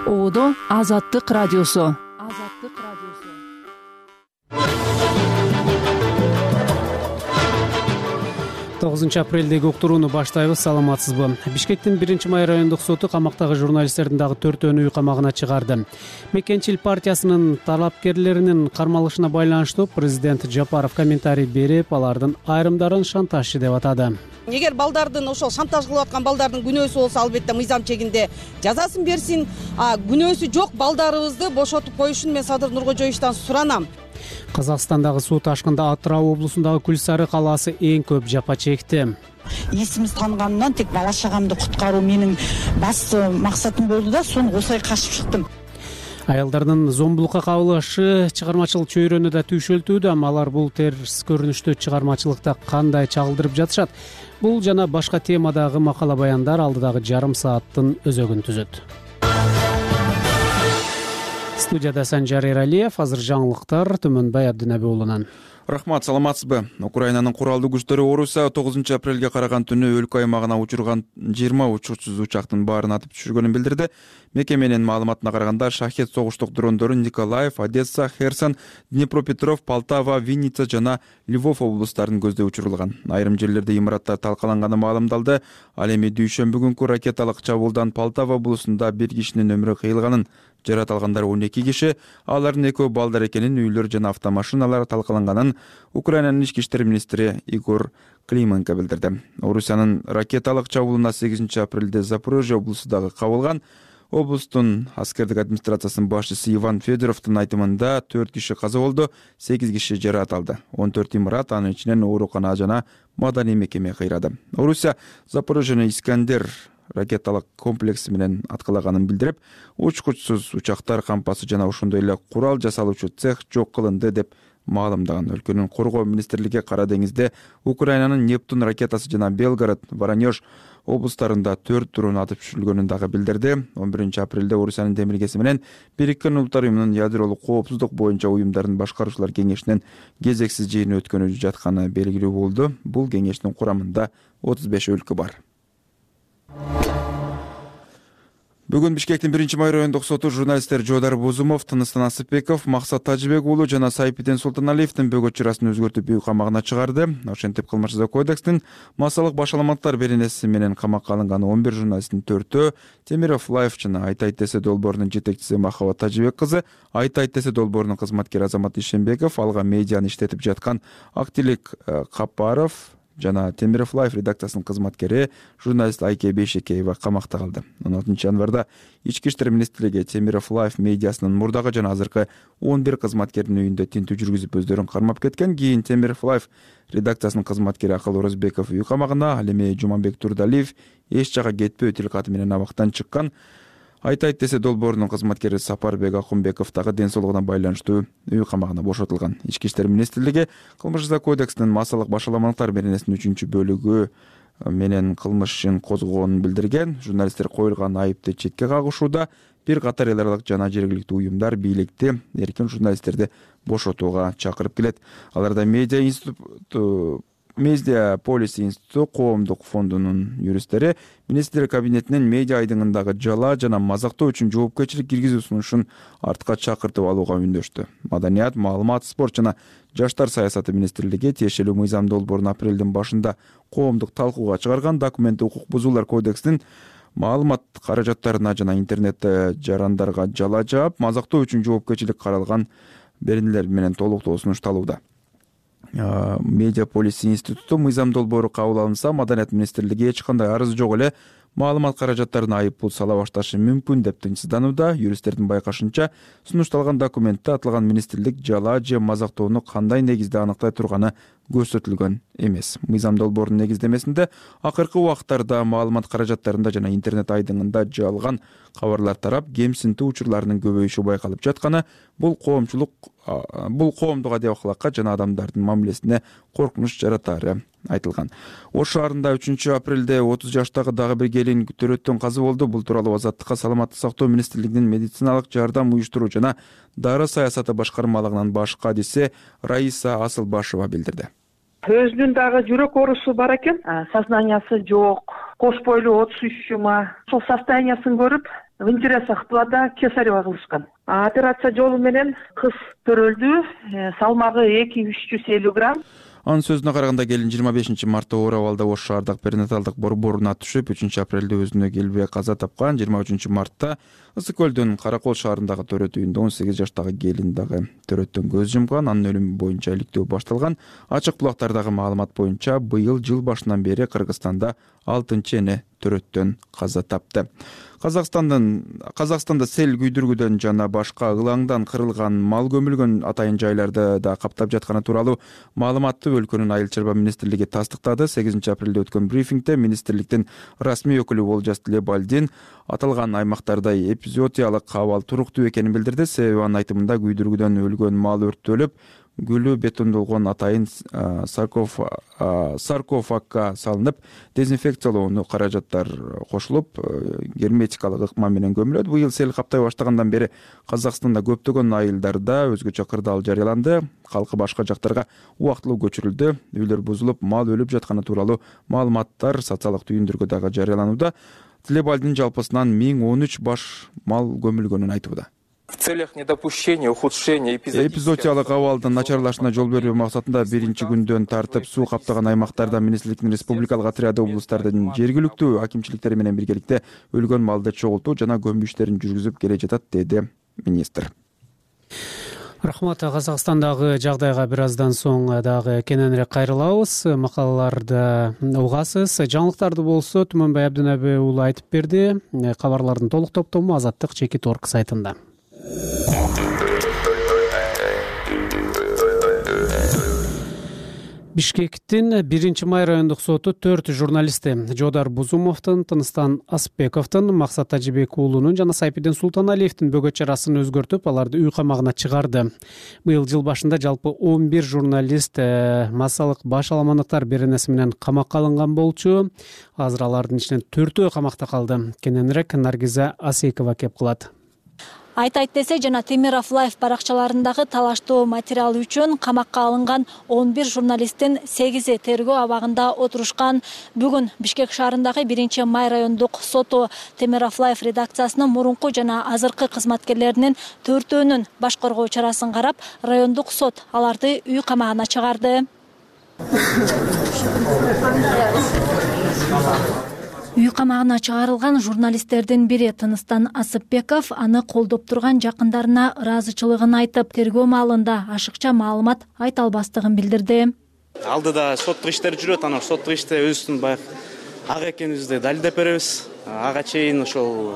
Оодо Азаттык радиосу. 9 апрелдеги уктурууну баштайбыз. Саламатсызбы? Бишкектин 1-май райондук соту камактагы журналисттердин дагы 4-өө үй камагына чыгарды. Мекенчил партиясынын талапкерлеринин кармалышына байланыштуу президент Жапаров комментарий берип, алардын айрымдарын шантажчы деп атады. Эгер балдардын ошол шантаж кылып аткан балдардын күнөөсү болсо, албетте мыйзам чегинде жазасын берсин. Күнөөсү жок балдарыбызды бошотуп коюшун мен Садыр Нуркожоевичтан суранам. Казакстандагы суу ташкында Атырау облусундагы Күлсары калаасы эң көп жапа чекти. Эсимиз тангандан тек бала чагамды куткаруу менин басты максатым болду да, сону косой качып чыктым. Аялдардын зомбулукка кабылышы чыгармачылык чөйрөнү да түйшөлтүүдө, алар бул терс көрүнүштү чыгармачылыкта кандай чагылдырып жатышат? Бул жана башка темадагы макала баяндар алдыдагы жарым сааттын өзөгүн түзөт. Студияда Санжар Эралиев. Азыр жаңылыктар Төмөнбай Абдынаби уулунан. Рахмат, саламатсызбы? Украинанын куралдуу күчтөрү Орусия 9 апрелге караган түнү өлкө аймагына учурган 20 учурсуз учактын баарын атып түшүргөнүн билдирди. Мекеменин маалыматына караганда шахет согуштук дрондору Николаев, Одесса, Херсон, Днепропетров, Полтава, Винница жана Львов облустарын көздөй учурулган. Айрым жерлерде имараттар талкаланганы маалымдалды. Ал эми дүйшөмбү күнкү ракеталык чабуулдан Полтава облусунда 1 кишинин өмүрү кыйылганын, жарат алгандар 12 киши, алардын экөө балдар экенин, үйлөр жана автомашиналар талкаланганын Украинанын ички иштер министри Игор Клименко билдирди. Орусиянын ракеталык чабуулуна 8 апрелде Запорожье облусу дагы кабылган. Облустун аскердик администрациясынын башчысы Иван Федоровдун айтымында 4 киши каза болду, 8 киши жарат алды. 14 имарат, анын ичинен оорукана жана маданий мекеме кыйрады. Орусия Запорожьени Искандер ракеталык комплекси менен аткалаганын билдирип, учкучсуз учактар кампасы жана ошондой эле курал жасалуучу цех жок кылынды деп маалымдаган. Өлкөнүн коргоо министрлиги Кара деңизде Украинанын Нептун ракетасы жана Белгород, Воронеж облустарында 4 дрон атып түшүрүлгөнүн дагы билдирди. 11 апрелде Орусиянын Демиргеси менен Бириккен Улуттар уюмунун ядролук коопсуздук боюнча уюмдардын башкаруучулар кеңешинин кезексиз жыйыны өткөнү жатканы белгилүү болду. Бул кеңештин курамында 35 өлкө бар. Бүгүн Бишкектин 1-май райондук соту журналисттер Жодар Бозумов, Тыныстан Асыпбеков, Максат Тажыбек уулу жана Сайпиден Султаналиевдин бөгөт чырасын өзгөртүп үй камагына чыгарды. Ошентип кылмыш жаза кодекстин массалык башаламаттар беренеси менен камакка алынган 11 журналисттин 4-өө Темиров Лайф жана Айтайт десе долбоорунун жетекчиси Махабат Тажыбек кызы, Айтайт десе долбоорунун кызматкери Азамат Ишенбеков, алга медианы иштетип жаткан Актилик Капаров жана Темиров Лайф редакциясынын кызматкери журналист Айке Бейшекеева камакта калды. 16 январда Ички иштер министрлиги Темиров Лайф медиасынын мурдагы жана азыркы 11 кызматкердин үйүндө тинтүү жүргүзүп өздөрүн кармап кеткен. Кийин Темиров Лайф редакциясынын кызматкери Акыл Орозбеков үй камагына, ал эми Жуманбек Турдалиев эч жакка кетпөө тил каты менен абактан чыккан. Айтайт десе долбоорунун кызматкери Сапарбек Акунбеков дагы ден соолугуна байланыштуу үй камагына бошотулган. Ички иштер министрлиги кылмыш жаза кодексинин массалык башаламалыктар беренесинин 3-бөлүгү менен кылмыш ишин козгогонун билдирген. Журналисттер коюлган айыпты четке кагышууда. Бир катар эл аралык жана жергиликтүү уюмдар бийликти эркин журналисттерди бошотууга чакырып келет. Аларда Медиа Полис институту коомдук фондунун юристтери министрлик кабинетинин медиа айдыңындагы жала жана мазактоо үчүн жоопкерчилик киргизүү сунушун артка чакыртып алууга үндөштү. Маданият, маалымат, спорт жана жаштар саясаты министрлиги тиешелүү мыйзам долбоорун апрелдин башында коомдук талкууга чыгарган. Документти укук бузуулар кодексинин маалымат каражаттарына жана интернетте жарандарга жала жаап, мазактоо үчүн жоопкерчилик каралган беренелер менен толуктоо сунушталууда. Медиа Полис институту мыйзам долбоору кабыл алынса, Маданият министрлиги эч кандай арыз жок эле маалымат каражаттарына айып пул сала башташы мүмкүн деп тынчсызданууда. Юристтердин байкашынча, сунушталган документте аталган министрлик жала же мазактоону кандай негизде аныктай турганы көрсөтүлгөн эмес. Мыйзам долбоорунун негиздемесинде акыркы убакыттарда маалымат каражаттарында жана интернет айдыңында жалган кабарлар тарап, кемсинтүү учурларынын көбөйүшү байкалып жатканы, бул коомдук адек-акылакка жана адамдардын мамилесине коркунуч жаратары айтылган. Ош шаарында 3 апрелде 30 жаштагы дагы бир келин төрөттөн каза болду. Бул тууралуу Азаттыкка саламаттык сактоо министрлигинин медициналык жардам уюштуруу жана дары саясаты башкармалыгынын баш кадиси Раиса Асылбашева билдирди. Өзүнүн дагы жүрөк оорусу бар экен, сознаниясы жок, кош бойлуу 33 жума. Ошол состояниясын көрүп, вентиляция кылганда кесарево кылышкан. Операция жолу менен кыз төрөлдү, салмагы 2-350 грамм. Анын сөзүнө караганда келин 25 мартта оор абалда Ош шаардык перинаталдык борборуна түшүп, 3 апрелде өзүнө келбей каза тапкан. 23 мартта Ысык көлдүн Каракол шаарындагы төрөт үйүндө 18 жаштагы келин дагы төрөттөн көз жумган. Анын өлүмү боюнча иликтөө башталган. Ачык булактардагы маалымат боюнча быйыл жыл башынан бери Кыргызстанда 6-чы эне төрөттөн каза тапты. Казакстанда сел күйдүргүдөн жана башка ылаңдан кырылган мал көмүлгөн атайын жайларды да каптап жатканы тууралуу маалыматты өлкөнүн айыл чарба министрлиги тастыктады. 8 апрелде өткөн брифингде министрликтин расмий өкүлү Олжас Тилебалдин аталган аймактарда эпизоотиялык абал туруктуу экенин билдирди. Себеби анын айтымында күйдүргүдөн өлгөн мал өрттөлүп, гүлү бетондолгон атайын саркофагга салынып, дезинфекциялоону каражаттар кошулуп, герметикалык ыкма менен көмүлөт. Быйыл сел каптай баштагандан бери Казакстанда көптөгөн айылдарда өзгөчө кырдаал жарыяланды. Калкы башка жактарга убактылуу көчүрүлдү. Үйлөр бузулуп, мал өлүп жатканы тууралуу маалыматтар социалдык түйүндөргө дагы жарыяланууда. Тилебалдин жалпысынан 1013 баш мал көмүлгөнүн айтууда. В целях недопущения ухудшения эпизоотиялык абалдын начарлашына жол бербөө максатында биринчи күндөн тартып суу каптаган аймактарда министрликтин республикалык отряды облустардын жергиликтүү акимчиликтери менен биргеликте өлгөн малды чогултуу жана көмүү иштерин жүргүзүп келе жатат, деди министр. Рахмат. Казакстандагы жагдайга бир аздан соң дагы кененирээк кайрылабыз. Макалаларды угасыз. Жаңылыктарды болсо Түмөнбай Абдынабы уулу айтып берди. Кабарлардын толук топтому Азаттык Чекит.орг сайтында. Бишкектин 1-май райондук соту 4 журналисти Жодар Бузумовдун, Тыныстан Асыпбековдун, Максат Тажибек уулунун жана Сайпидин Султаналиевдин бөгөт чарасын өзгөртүп, аларды үй камагына чыгарды. Быйыл жыл башында жалпы 11 журналист массалык баш аламандыктар беренеси менен камакка алынган болчу. Азыр алардын ичинен 4-өө камакта калды. Кененирээк Наргиза Асейкова кеп кылат. Айтайт десе жана Темиров Лайф баракчаларындагы талаштуу материал үчүн камакка алынган 11 журналисттин 8-и тергөө абагында отурушкан. Бүгүн Бишкек шаарындагы 1-май райондук соту Темиров Лайф редакциясынын мурунку жана азыркы кызматкерлеринин 4-өөнүн баш коргоо чарасын карап, райондук сот аларды үй камагына чыгарды. Үй камагына чыгарылган журналисттердин бири Тыныстан Асыпбеков аны колдоп турган жакындарына ыраазычылыгын айтып, тергөө маалында ашыкча маалымат айта албастыгын билдирди. Алдыда соттук иштер жүрөт, анан соттук иште өзүбүздүн баягы ак экенибизди далилдеп беребиз. Ага чейин ошол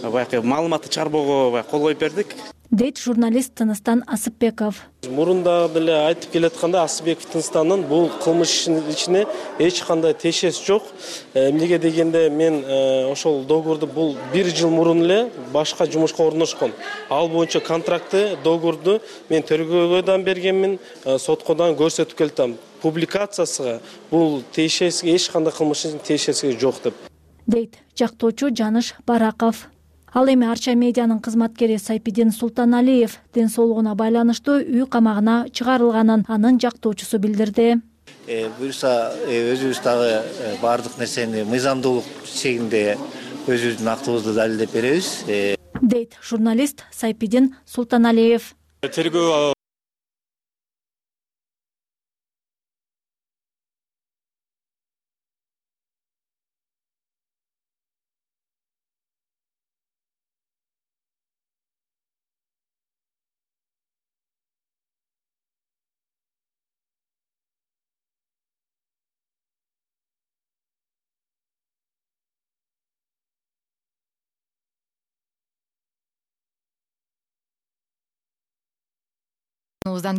баягы маалыматты чыгарбоого кол коюп бердик, дейт журналист Тыныстан Асыпбеков. Мурунда деле айтып келатканда Асыпбеков Тынстанын бул кылмыш ичине эч кандай тиешеси жок. Эмнеге дегенде мен ошол договорду бул 1 жыл мурун эле башка жумушка орношкон. Ал боюнча контрактты, договорду мен тергөөгө дан бергенмин, сотко дан көрсөтүп келдим. Публикациясыга бул тиешеси эч кандай кылмыштын тиешеси жок деп, дейт жактоочу Жаныш Бараков. Ал эми Арча медианын кызматкери Сайпидин Султаналиев ден соолугуна байланыштуу үй камагына чыгарылганын анын жактоочусу билдирди. Буюрса өзүбүз дагы баардык нерсени мыйзамдуулук чегинде өзүбүздүн актыбызды далилдеп беребиз, дейт журналист Сайпидин Султаналиев. Тергөө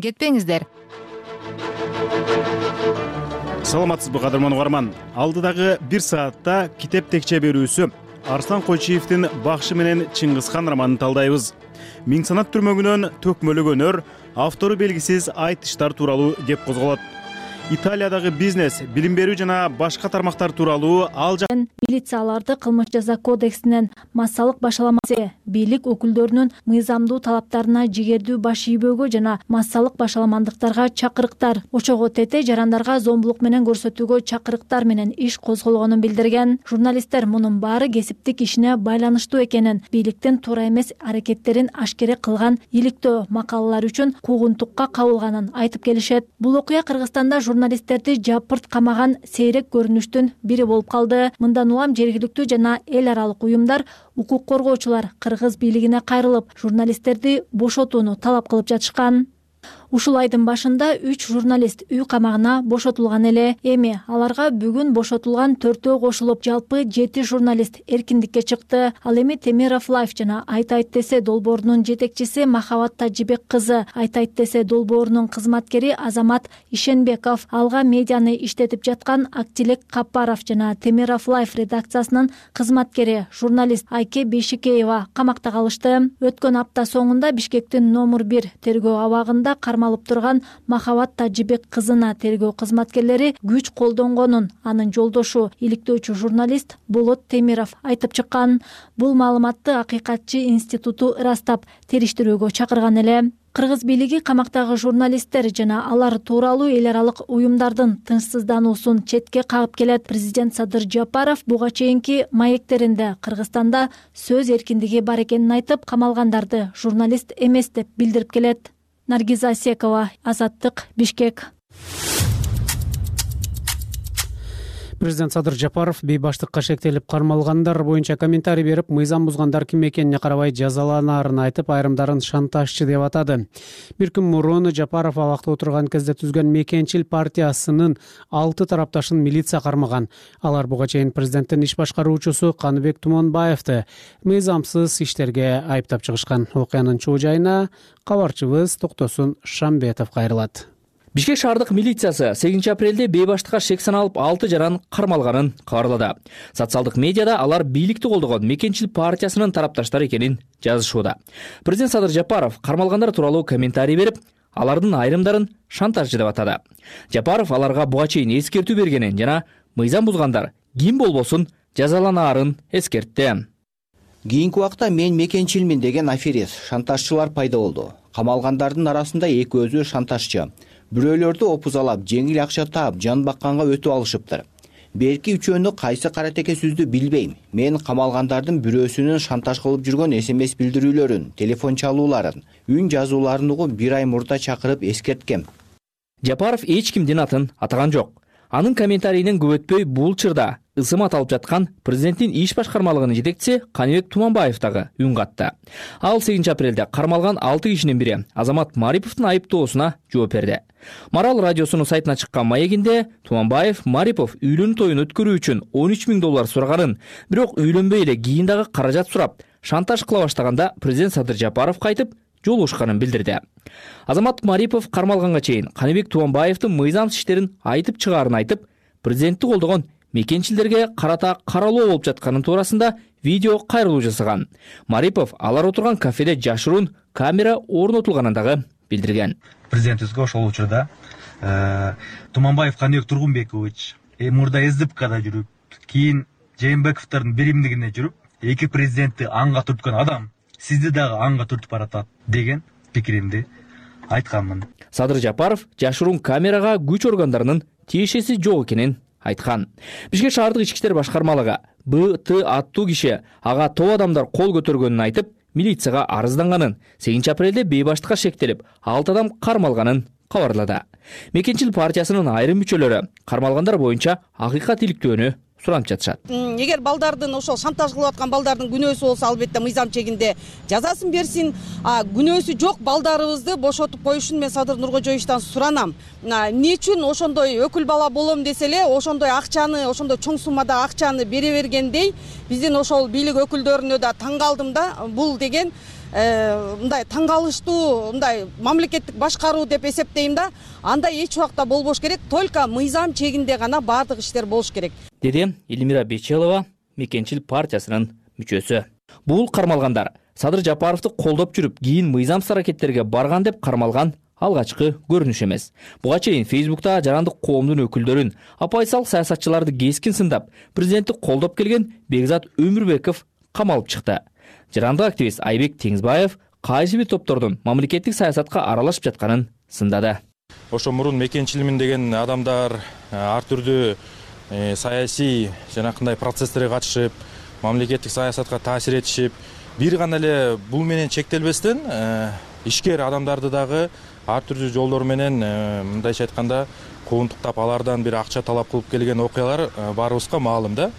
кетпеңиздер. Саламатсызбы кадырман угарман. Алдыдагы 1 саатта китеп текче берүүсү Арслан Койчиевдин Бакшы менен Чыңгызхан романын талдайбыз. Миң санат түрмөгүнөн төкмөлөгөнөр, автору белгисиз айтыштар тууралуу кеп козголот. Италиядагы бизнес, билим берүү жана башка тармактар тууралуу ал милиция аларды кылмыш жаза кодексинен массалык башаламасы, бийлик өкүлдөрүнүн мыйзамдуу талаптарына жигердүү баш ийбөөгө жана массалык башаламандыктарга чакырыктар, ошого тете жарандарга зомбулук менен көрсөтүүгө чакырыктар менен иш козголгонун билдирген. Журналисттер мунун баары кесиптик ишине байланыштуу экенин, бийликтин туура эмес аракеттерин ашкере кылган иликтөө макалалар үчүн куугунтукка кабылганын айтып келишет. Бул окуя Кыргызстанда журналисттерди жапырт камаган сейрек көрүнүштүн бири болуп калды. Мындан улам жергиликтүү жана эл аралык уюмдар, укук коргоочулар кыргыз бийлигине кайрылып, журналисттерди бошотууну талап кылып жатышкан. Ушул айдын башында 3 журналист үй камагына бошотулган эле. Эми аларга бүгүн бошотулган 4-өө кошулуп, жалпы 7 журналист эркиндикке чыкты. Ал эми Темиров Лайф жана Айтайт десе долбоорунун жетекчиси Махабат Тажибек кызы, Айтайт десе долбоорунун кызматкери Азамат Ишенбеков, Алга медианы иштетип жаткан Актилек Капаров жана Темиров Лайф редакциясынын кызматкери журналист Айке Бейшикеева камакта калышты. Өткөн апта соңунда Бишкектин номер 1 тергөө абагында кармалып турган Махабат Тажибек кызына тергөө кызматкерлери күч колдонгонун анын жолдошу, иликтөөчү журналист Болот Темиров айтып чыккан. Бул маалыматты Акыйкатчы институту ырастап, териштирүүгө чакырган эле. Кыргыз бийлиги камактагы журналисттер жана алар тууралуу эл аралык уюмдардын тынчсыздануусун четке кагып келет. Президент Садыр Жапаров буга чейинки маектеринде Кыргызстанда сөз эркиндиги бар экенин айтып, камалгандарды журналист эмес деп билдирип келет. Наргиза Асекова, Азаттык, Бишкек. Президент Садыр Жапаров бейбаштыкка шектелип кармалгандар боюнча комментарий берип, мыйзам бузгандар ким экенине карабай жазаланаарын айтып, айрымдарын шантажчы деп атады. Бир күн мурун Жапаров абакта отурган кезде түзгөн Мекенчил партиясынын 6 тарапташын милиция кармаган. Алар буга чейин президенттин иш башкаруучусу Каныбек Туманбаевди мыйзамсыз иштерге айыптап чыгышкан. Окуянын чоо жайына кабарчыбыз Токтосун Шамбетов кайрылат. Бишкек шаардык милициясы 8 апрелде бейбаштыкка шек саналып 6 жаран кармалганын кабарлады. Социалдык медиада алар бийликти колдогон Мекенчил партиясынын тарапташтары экенин жазышууда. Президент Садыр Жапаров кармалгандар тууралуу комментарий берип, алардын айрымдарын шантажчы деп атады. Жапаров аларга буга чейин эскертүү бергенин жана мыйзам бузгандар ким болбосун жазаланаарын эскертти. Кийинки убакта мен Мекенчилмин деген аферист, шантажчылар пайда болду. Камалгандардын арасында экөөзү шантажчы. Бирөөлөрдү опузалап, жеңил акча таап, жан бакканга өтүп алышыптыр. Берки үчөөнү кайсы каратеке сүздү билбейм. Мен камалгандардын бирөөсүнүн шантаж кылып жүргөн SMS билдирүүлөрүн, телефон чалууларын, үн жазууларын угуп 1 ай мурда чакырып эскерткем. Жапаров эч кимдин атын атаган жок. Анын комментарийинен көп өтпөй бул чырда ысым аталып жаткан президенттин иш башкармалыгынын жетекчиси Каныбек Туманбаев дагы үн катты. Ал 8 апрелде кармалган 6 кишинин бири Азамат Мариповдун айыптоосуна жооп берди. Марал радиосунун сайтына чыккан маегинде Туманбаев Марипов үйлөнүү тоюн өткөрүү үчүн $13,000 сураганын, бирок үйлөнбөй эле кийин дагы каражат сурап, шантаж кыла баштаганда президент Садыр Жапаров кайтып жолугушканын билдирди. Азамат Марипов кармалганга чейин Каныбек Туманбаевдин мыйзамсыз иштерин айтып чыгаарын айтып, президентти колдогон мекенчилерге карата каралоо болуп жатканын туурасында видео кайрылуу жасаган. Марипов алар отурган кафеде жашыруун камера орнотулганын дагы билдирген. Президентибизге ошол учурда Туманбаев Каныбек Тургунбекович мурда СДПКда жүрүп, кийин Жээнбековдордун биримдигине жүрүп, эки президентти анга түрткөн адам сизди дагы анга түртүп баратат деген пикиримди айтканмын. Садыр Жапаров жашыруун камерага күч органдарынын тиешеси жок экенин айткан. Бишкек шаардык ички иштер башкармалыгы БТ аттуу киши ага топ адамдар кол көтөргөнүн айтып, милицияга арызданганын, 8 апрелде бейбаштыкка шектелип 6 адам кармалганын кабарлады. Мекенчил партиясынын айрым мүчөлөрү кармалгандар боюнча акыйкат иликтөөнү суранып жатышат. Эгер балдардын ошол шантаж кылып аткан балдардын күнөөсү болсо, албетте мыйзам чегинде жазасын берсин. Күнөөсү жок балдарыбызды бошотуп коюшун мен Садыр Нуркожоевичтен суранам. Эмне үчүн ошондой өкүл бала болом десе эле, ошондой акчаны, ошондой чоң суммада акчаны бере бергендей, биздин ошол бийлик өкүлдөрүнө да таң калдым да. Бул деген мындай таң калыштуу, мындай мамлекеттик башкаруу деп эсептейм да. Андай эч убакта болбош керек, только мыйзам чегинде гана баардык иштер болуш керек. Деди Элмира Бечелова, Мекенчил партиясынын мүчөсү. Бул кармалгандар Садыр Жапаровду колдоп жүрүп, кийин мыйзамсыз аракеттерге барган деп кармалган алгачкы көрүнүш эмес. Буга чейин Facebook'та жарандык коомдун өкүлдөрүн, оппозициялык саясатчыларды кескин сындап, президентти колдоп келген Бекзат Өмүрбеков камалып чыкты. Жарандык активист Айбек Теңизбаев кайсы бир топтордун мамлекеттик саясатка аралашып жатканын сындады. Ошо мурун мекенчилмин деген адамдар ар түрдүү саясий жанакындай процесстерге катышып, мамлекеттик саясатка таасир этишип, бир гана эле бул менен чектелбестен ишкер адамдарды дагы ар түрдүү жолдор менен, мындайча айтканда, куугунтуктап алардан бир акча талап кылып келген окуялар баарыбызга маалым да.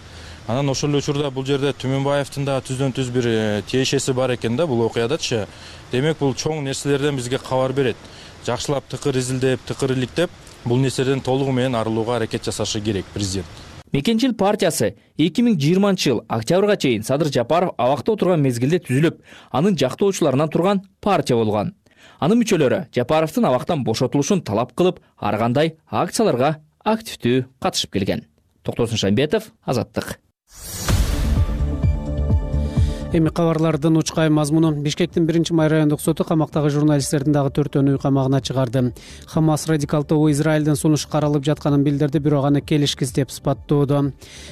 Анан ошол эле учурда бул жерде Түмөнбаевдин да түздөн түз бир тиешеси бар экен да бул окуядачы. Демек бул чоң нерселерден бизге кабар берет. Жакшылап тыкыр изилдеп, тыкыр иликтеп, бул нерседен толугу менен арылууга аракет жасашы керек президент. Мекенчил партиясы 2020 октябрга чейин Садыр Жапаров абакта отурган мезгилде түзүлүп, анын жактоочуларынан турган партия болгон. Анын мүчөлөрү Жапаровдун абактан бошотулушун талап кылып, ар кандай акцияларга активдүү катышып келген. Токтосун Шамбетов, Азаттык. Эми кабарлардын учкай мазмуну. Бишкектин 1-май райондук соту камактагы журналисттердин дагы 4 үй камагына чыгарды. Хамас радикал тобу Израилдин сунушу каралып жатканын билдирди, бирок аны келишкиз деп сыпаттоодо.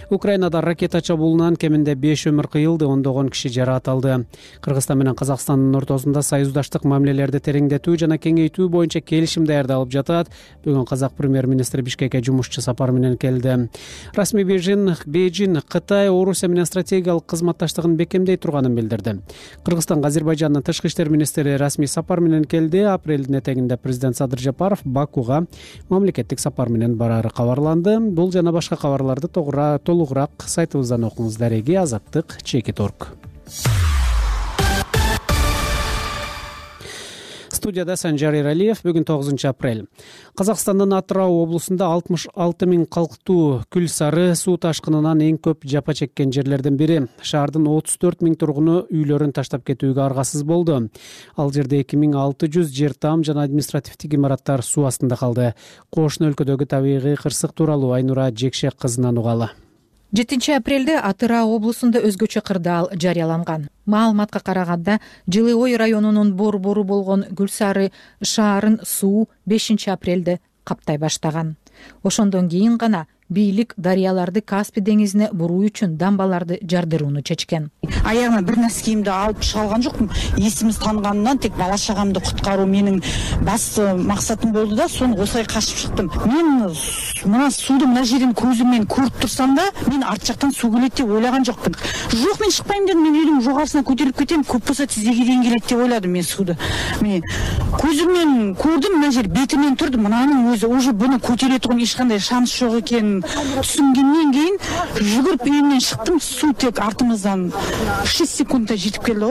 Украинада ракета чабуулунан кеминде 5 өмүр кыйылды, ондогон киши жаракат. Кыргызстан менен Казакстандын ортосунда союздаштык мамилелерди тереңдетүү жана кеңейтүү боюнча келишим даярдалып жатат. Бүгүн Казак премьер-министри Бишкекке жумушчу сапар менен келди. Расмий Бейжин Кытай Орусия менен стратегиялык кызматташтыгын бекемдей турганын билдирди. Кыргызстанга Азербайжандын тышкы иштер министри расмий сапар менен келди. Апрелдин этегинде президент Садыр Жапаров Бакуга мамлекеттик сапар менен барары кабарланды. Бул жана башка кабарларды толугураак сайтыбыздан окуңуз. Дареги Азаттык /.org. Студияда Санжар Иралиев. Бүгүн 9 апрель. Казакстандын Атырау облусунда 66 000 калктуу күл сары суу ташкынынан эң көп жапа чеккен жерлерден бири. Шаардын 34 000 тургуну үйлөрүн таштап кетүүгө аргасыз болду. Ал жерде 2600 жер там жана административдик имараттар суу астында калды. Кошуна өлкөдөгү табигый кырсык тууралуу Айнура Жекшек кызынан угалы. 7 апрелде Атырау облусунда өзгөчө кырдаал жарыяланган. Маалыматка караганда, Жылы Ой районунун борбору болгон Гүлсары шаарын суу 5 апрелде каптай баштаган. Ошондон кийин гана бийлик дарыяларды Каспий деңизине буруу үчүн дамбаларды жардырууну чечкен. Аягыма бир нерсе кийимди алып чыга алган жокмун. Эсимиз тангандан тек бала чагамды куткаруу менин басты максатым болду да, сону осылай качып чыктым. Мен мына суудун мына жерин көзүм менен көрүп турсам да, мен арт жактан суу келет деп ойлаган жокмун. Жок, мен чыкпайм дедим. Мен үйдүн жогорусуна көтөрүлүп кетем, көп болсо тизеге дейин келет деп ойладым мен сууду. Мен көзүм менен көрдүм, мына жер бетимен турду. Мынанын өзү уже буну көтөрө турган эч кандай шанс жок экен. Түсүнгөндөн кийин жүгүрүп үйүмдөн чыктым, суу тек артымыздан 6 секундда жетип келди.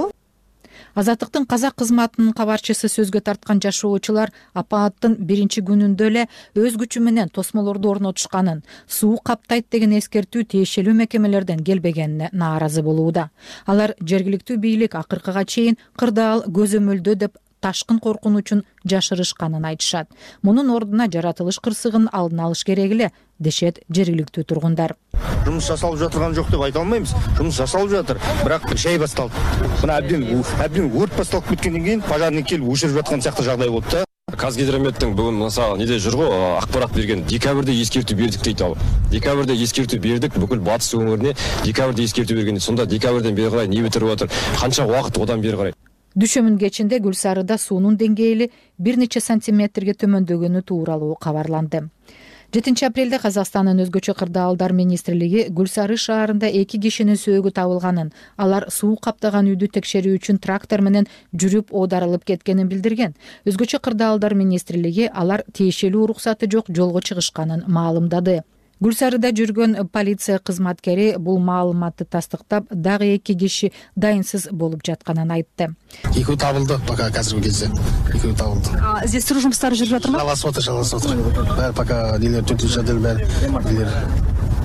Азаттыктын казак кызматынын кабарчысы сөзгө тарткан жашоочулар апааттын 1 күнүндө эле өз күчү менен тосмолорду орнотушканын, суу каптайт деген эскертүү тиешелүү мекемелерден келбегенине нааразы болууда. Алар жергиликтүү бийлик акыркыга чейин кырдаал көзөмөлдө деп ташкын коркунучун жашырышканын айтышат. Мунун ордуна жаратылыш кырсыгын алдын алыш керек эле, дешет жергиликтүү тургундар. Жумуш жасалып жатырган жок деп айта албайбыз. Жумуш жасалып жатыр, бирок шей басталды. Мына абден өрт басталып кеткенден кийин пожарный келип өчүрүп жаткан сыяктуу жагдай болду да. Казгидрометтин бүгүн мисалы неде жүр го, акпарат берген. Декабрда эскертүү бердик дейт ал. Декабрда эскертүү бердик, бүкүл батыс өңүрүнө декабрда эскертүү берген. Сонда декабрдан бери карай не бүтүрүп атыр? Канча убакыт одан бери карай? Дүшөмүн кечинде Гүлсарыда суунун деңгээли 1 нече сантиметрге төмөндөгөнү тууралуу кабарланды. 7 апрелде Казакстандын өзгөчө кырдаалдар министрлиги Гүлсары шаарында 2 кишинин сөөгү табылганын, алар суу каптаган үйдү текшерүү үчүн трактор менен жүрүп оодарылып кеткенин билдирген. Өзгөчө кырдаалдар министрлиги алар тиешелүү уруксаты жок жолго чыгышканын маалымдады. Гүлсарыда жүргөн полиция кызматкери бул маалыматты тастыктап, дагы 2 киши дайынсыз болуп жатканын айтты. 2 табылды, пока азыркы кезде 2 табылды. Издестирүү жумуштары жүрүп жатырбы? Жалгасып атыр. Баары пока дилер төтүнчү жадел баары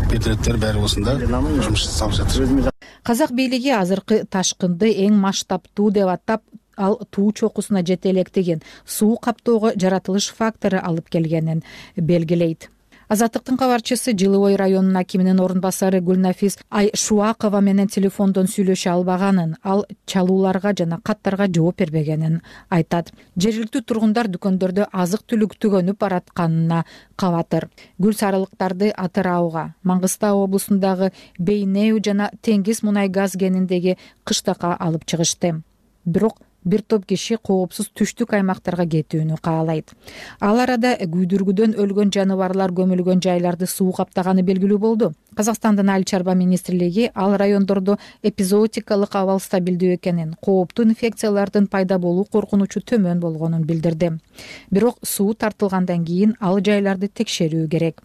бетиреттер баары осунда жумуш жасалып жатыр. Казак бийлиги азыркы ташкынды эң масштабтуу деп атап, ал туу чокусуна жете электеген суу каптоого жаратылыш фактору алып келгенин белгилейт. Азаттыктын кабарчысы Жылы Ой районунун акиминин орун басары Гүлнафис Айшуакова менен телефондон сүйлөшө албаганын, ал чалууларга жана каттарга жооп бербегенин айтат. Жергиликтүү тургундар дүкөндөрдө азык-түлүк түгөнүп баратканына кабатыр. Гүл сарылыктарды Атырауга, Маңгыстау облусундагы Бейнеу жана Теңиз мунай газ кениндеги кыштакка алып чыгышты. Бирок бир топ киши коопсуз түштүк аймактарга кетүүнү каалайт. Ал арада күйдүргүдөн өлгөн жаныбарлар көмүлгөн жайларды суу каптаганы белгилүү болду. Казакстандын Айыл чарба министрлиги ал райондордо эпизоотикалык абал стабилдүү экенин, кооптуу инфекциялардын пайда болуу коркунучу төмөн болгонун билдирди. Бирок суу тартылгандан кийин ал жайларды текшерүү керек.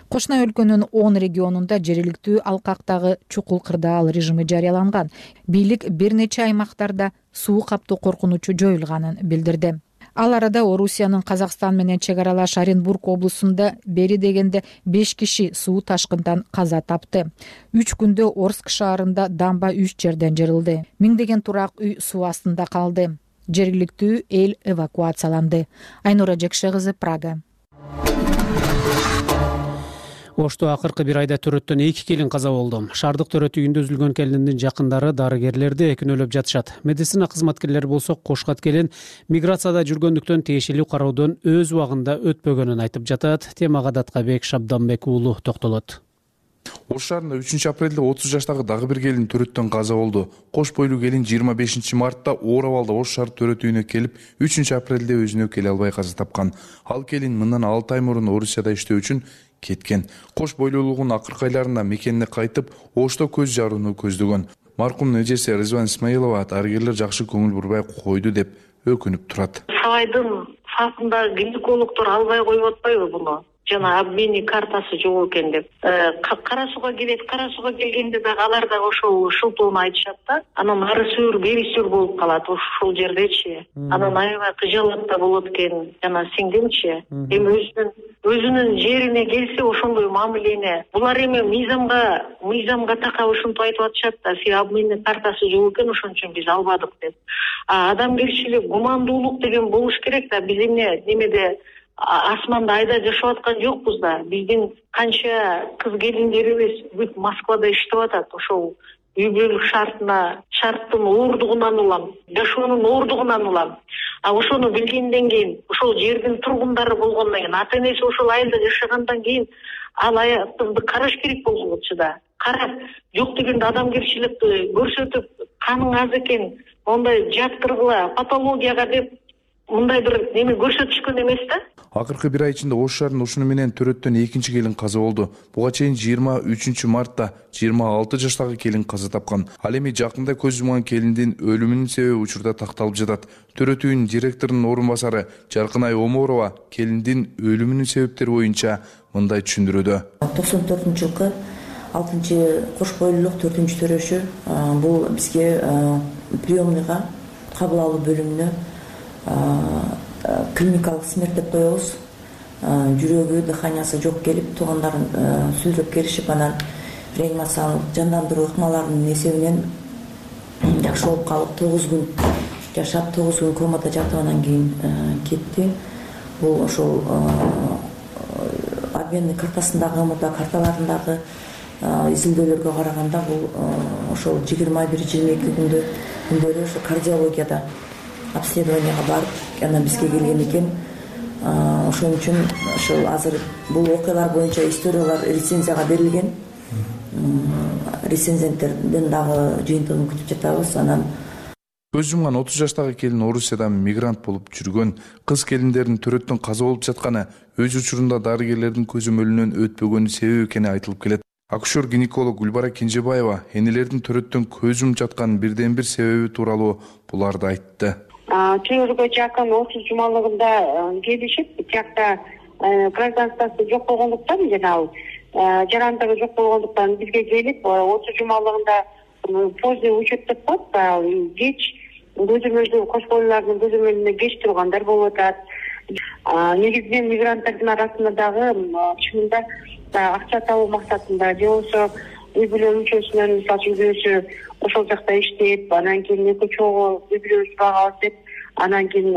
Кошуна өлкөнүн 10 регионунда жергиликтүү алкактагы чукул кырдаал режими жарыяланган. Бийлик бир нече аймактарда суу каптоо коркунучу жоюлганын билдирди. Ал арада Орусиянын Казакстан менен чек аралаш Оренбург облусунда бери дегенде 5 киши суу ташкындан каза тапты. 3 күндө Орск шаарында дамба 3 жерден жарылды. Миңдеген турак үй суу астында калды. Жергиликтүү эл эвакуацияланды. Айнура Жекше кызы, Прага. Ошто акыркы бир айда төрөттөн 2 келин каза болду. Шаардык төрөт үйүндө үзүлгөн келиндин жакындары дарыгерлерди күнөөлөп жатышат. Медицина кызматкерлери болсо кошкат келин миграцияда жүргөндүктөн тиешелүү кароодон өз убагында өтпөгөнүн айтып жатат. Темага Даткабек Шабданбек уулу токтолот. Ош шаарында 3 апрелде 30 жаштагы дагы бир келин төрөттөн каза болду. Кош бойлуу келин 25 мартта оор абалда Ош шаар төрөт үйүнө келип, 3 апрелде өзүнө келе албай каза тапкан. Ал келин мындан 6 ай мурун Орусияда иштөө үчүн кеткен. Кош бойлуулугунун акыркы айларында мекенине кайтып, Ошто көз жарууну көздөгөн. Маркумдун эжеси Рызван Исмаилова дарыгерлер жакшы көңүл бурбай койду деп өкүнүп турат. Сабайдын фасында гинекологдор албай коюп атпайбы буну? Жана обменный картасы жок экен деп. Кара сууга келет, кара сууга келгенде дагы алар дагы ошол шылтоону айтышат да. Анан ары сүйүр, бери сүйүр болуп калат ошол жердечи. Анан аябай кыжалат да болот экен. Жана сиңдимчи. Эми өзүнүн жерине келсе ошондой мамилени. Булар эми мыйзамга такап ушинтип айтып атышат да. Сен обменный картасы жок экен, ошон үчүн биз албадык деп. Адамгерчилик, гумандуулук деген болуш керек да. Биз немеде асманда айда жашап аткан жокпуз да. Биздин канча кыз келиндерибиз бүт Москвада иштеп атат. Ошол үй бүлөлүк шарттын оордугунан улам, жашоонун оордугунан улам. Ошону билгенден кийин, ошол жердин тургундары болгондон кийин, ата энеси ошол айылда жашагандан кийин ал аятты караш керек болгучу да. Карап, жок дегенде адамгерчиликти көрсөтүп, каның аз экен, ондай жаттыргыла, патологияга деп мындай бир неме көрсөтүшкөн эмес да. Акыркы бир ай ичинде Ош шаарында ушуну менен төрөттөн 2 келин каза болду. Буга чейин 23 мартта 26 жаштагы келин каза тапкан. Ал эми жакында көз жумган келиндин өлүмүнүн себеби учурда такталып жатат. Төрөт үйүнүн директорунун орун басары Жаркынай Оморова келиндин өлүмүнүн себептери боюнча мындай түшүндүрүүдө. 94-жылкы 6-кош бойлуулук 4-төрөшү бул бизге приемныйга кабыл алуу бөлүмүнө клиникалык смерть деп коебуз. Жүрөгү, дыханиясы жок келип, туугандарын сүйлөп келишип, анан реанимациялык жандандыруу ыкмаларынын эсебинен жакшы болуп калып, 9 күн жашап, 9 күн комада жатып, анан кийин кетти. Бул ошол обменный картасындагы, МТА карталарындагы изилдөөлөргө караганда бул ошол 21-22 күндөрү ошо кардиологияда обследованияга барып, анан бизге келген экен. Ошон үчүн ошол азыр бул окуялар боюнча историялар рецензияга берилген. Рецензенттерден дагы жыйынтыгын күтүп жатабыз. Анан көз жумган 30 жаштагы келин Орусияда мигрант болуп жүргөн. Кыз келиндердин төрөттөн каза болуп жатканы өз учурунда дарыгерлердин көзөмөлүнөн өтпөгөнү себеп экени айтылып келет. Акушер-гинеколог Гүлбара Кенжебаева энелердин төрөттөн көз жумуп жатканын бирден бир себеби тууралуу буларды айтты. Чыгырга жакын 30 жумалыгында келишип, тиякта гражданствосы жок болгондуктан жана ал жарандыгы жок болгондуктан бизге келип, 30 жумалыгында поздний учет деп коет, кеч көзөмөлдү кош бойлуулардын көзөмөлүнө кеч тургандар болуп атат. Негизинен мигранттардын арасында дагы чынында акча табуу максатында же болбосо үй бүлө мүчөсүнөн, мисалы үй бүлөсү ошол жакта иштеп, анан кийин эки чогуу үй бүлөбүз багабыз деп, анан кийин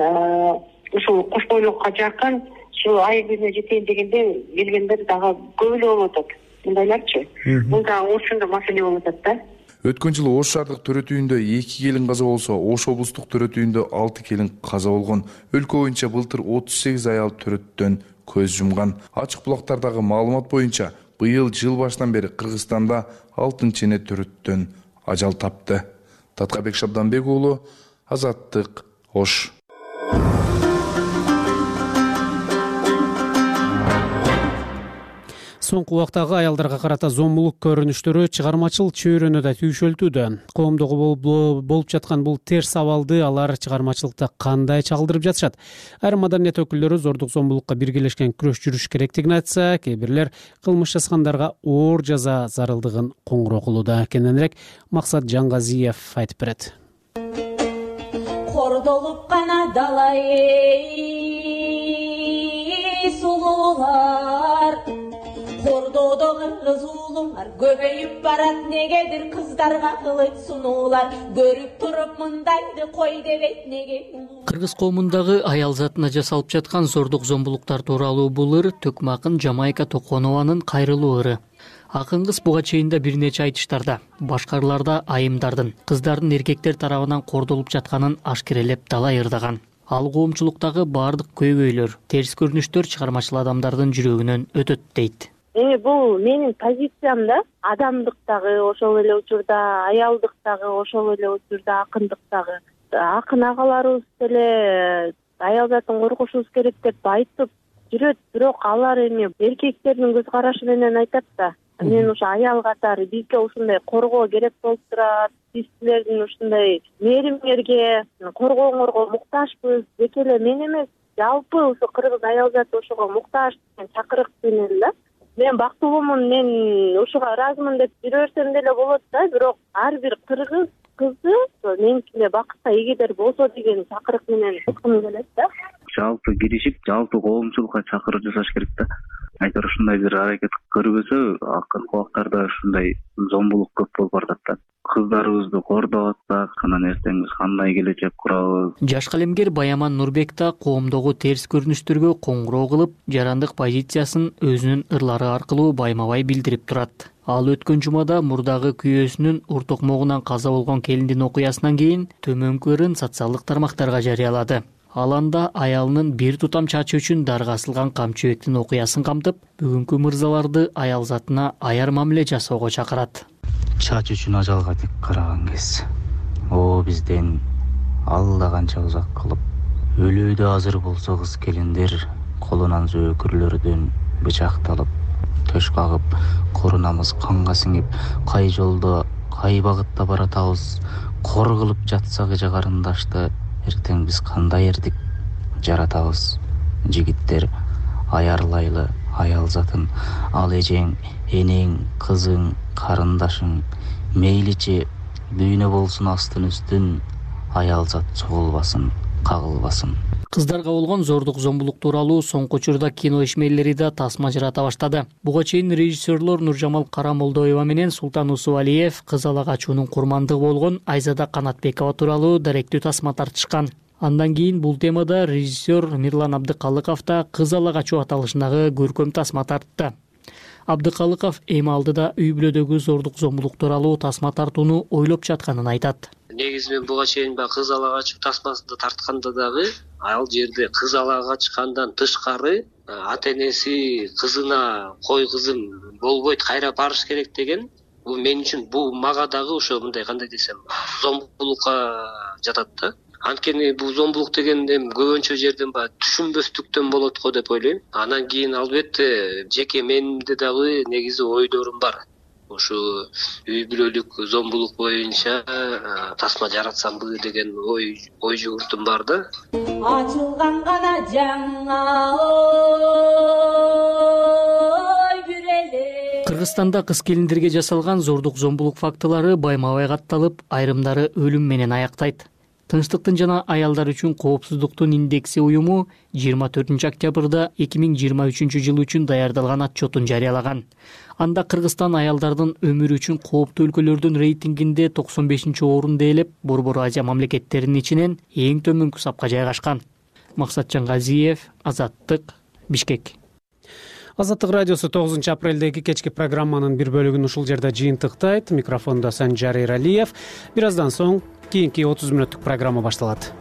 ушул кош бойлуулукка жакын ушу ай күнүнө жетейин дегенде келгендер дагы көп эле болуп атат. Мындайларчы. Бул да ошондо маселе болуп атат да. Өткөн жылы Ош шаардык төрөтүүндө 2 келин каза болсо, Ош облустук төрөтүүндө 6 келин каза болгон. Өлкө боюнча былтыр 38 аял төрөттөн көз жумган. Ачык булактардагы маалымат боюнча быйыл жыл башынан бери Кыргызстанда 6 эне төрөттөн ажал тапты. Таткабек Шабданбек уулу, Азаттык, Ош. Соңку убактагы аялдарга карата зомбулук көрүнүштөрү чыгармачыл чөйрөнүдө түйшөлтүүдө. Коомдогу болуп жаткан бул терс абалды алар чыгармачылыкта кандай чагылдырып жатышат? Айрым маданият өкүлдөрү зордук зомбулукка биргелешкен күрөш жүрүш керектигин айтса, кээ бирлер кылмыш жазгандарга оор жаза зарылдыгын коңгуроо кылууда. Кененирээк Максат Жаңгазиев айтып берет. Кордолуп гана далай сулуулар, кордоодо кыргыз уулуңар көбөйүп барат, негедир кыздарга кылыч сунуулар, көрүп туруп мындайды кой дебейт неге? Кыргыз коомундагы аял затына жасалып жаткан зордук зомбулуктар тууралуу бул ыр Төкмө акын Жамайка Токонованын кайрылуу ыры. Акын кыз буга чейин да бир нече айтыштарда, башкаларда айымдардын, кыздардын эркектер тарабынан кордолуп жатканын ашкерелеп далай ырдаган. Ал коомчулуктагы баардык көйгөйлөр, терс көрүнүштөр чыгармачыл адамдардын жүрөгүнөн өтөт дейт. Бул менин позициям да, адамдыктагы ошол эле учурда, аялдыктагы ошол эле учурда, акындыктагы. Акын агаларыбыз деле аял затын коргошубуз керек деп айтып жүрөт, бирок алар эми эркектердин көз карашы менен айтат да. Мен ушу аял катары бизге ушундай коргоо керек болуп турат, биз силердин ушундай мээримиңерге, коргооңорго муктажбыз, тек эле мен эмес, жалпы ушу кыргыз аял заты ошого муктаж деген чакырык менен да. Мен бактылуумун, мен ушуга ыраазымын деп жүрө берсем деле болот да, бирок ар бир кыргыз кызы меникине бакытка эгедер болсо деген чакырык менен айткым келет да. Жалпы киришип, жалпы коомчулукка чакырып жасаш керек да. Айтор ушундай бир аракет көрбөсө, акыркы убактарда ушундай зомбулук көп болуп барат да. Кыздарыбызды кордоп атсак, анан эртең биз кандай келечек курабыз? Жаш калемгер Баяман Нурбек да коомдогу терс көрүнүштөргө коңгуроо кылып, жарандык позициясын өзүнүн ырлары аркылуу байма-бай билдирип турат. Ал өткөн жумада мурдагы күйөөсүнүн ур токмогунан каза болгон келиндин окуясынан кийин төмөнкү ырын социалдык тармактарга жарыялады. Ал анда аялынын бир тутам чачы үчүн дарга асылган камчыбектин окуясын камтып, бүгүнкү мырзаларды аял затына аяр мамиле жасоого чакырат. Чач үчүн ажалга тик караган кез. О бизден алла канча узак кылып, өлүүдө азыр болсо кыз келиндер колунан зөөкүрлөрдөн бычакталып, төш кагып, корунамыз канга сиңип, кай жолдо, кай багытта баратабыз, кор кылып жатсак эже карындашты, эртең биз кандай эрдик жаратабыз. Жигиттер аярлайлы аял затын, ал эжең, энең, кызың, карындашың мейличи дүйнө болсун астын үстүн, аял зат чогулбасын, кагылбасын. Кыздарга болгон зордук зомбулук тууралуу соңку учурда кино ишмерлери да тасма жарата баштады. Буга чейин режиссерлор Нуржамал Карамолдоева менен Султан Усубалиев кыз ала качуунун курмандыгы болгон Айзада Канатбекова тууралуу даректүү тасма тартышкан. Андан кийин бул темада режиссер Мирлан Абдыкалыков да кыз ала качуу аталышындагы көркөм тасма тартты. Абдыкалыков эми алдыда үй бүлөдөгү зордук зомбулук тууралуу тасма тартууну ойлоп жатканын айтат. Негизи мен буга чейин кыз ала качуу тасмасында тартканда дагы ал жерде кыз ала качкандан тышкары ата энеси кызына кой кызым болбойт, кайра барыш керек деген, бул мен үчүн, бул мага дагы ошо мындай кандай десем, зомбулукка жатат да. Анткени бул зомбулук деген көбүнчө жерден түшүнбөстүктөн болот го деп ойлойм. Анан кийин албетте жеке менимде дагы негизи ойлорум бар. Ушу үй бүлөлүк зомбулук боюнча тасма жаратсамбы деген ой жүгүртүм бар да. Ачылган гана жаңа ой бүреле. Кыргызстанда кыз келиндерге жасалган зордук зомбулук фактылары байма-бай катталып, айрымдары өлүм менен аяктайт. Тынчтыктын жана аялдар үчүн коопсуздуктун индекси уюму 24 октябрда 2023 жыл үчүн даярдалган отчетун жарыялаган. Анда Кыргызстан аялдардын өмүрү үчүн кооптуу өлкөлөрдүн рейтингинде 95-орунду ээлеп, Борбор Азия мамлекеттеринин ичинен эң төмөнкү сапка жайгашкан. Максат Жаңгазиев, Азаттык, Бишкек. Азаттык радиосу 9 апрелдеги кечки программанын бир бөлүгүн ушул жерде жыйынтыктайт. Микрофондо Санжар Эралиев. Бир аздан соң кийинки 30 мүнөттүк программа башталат.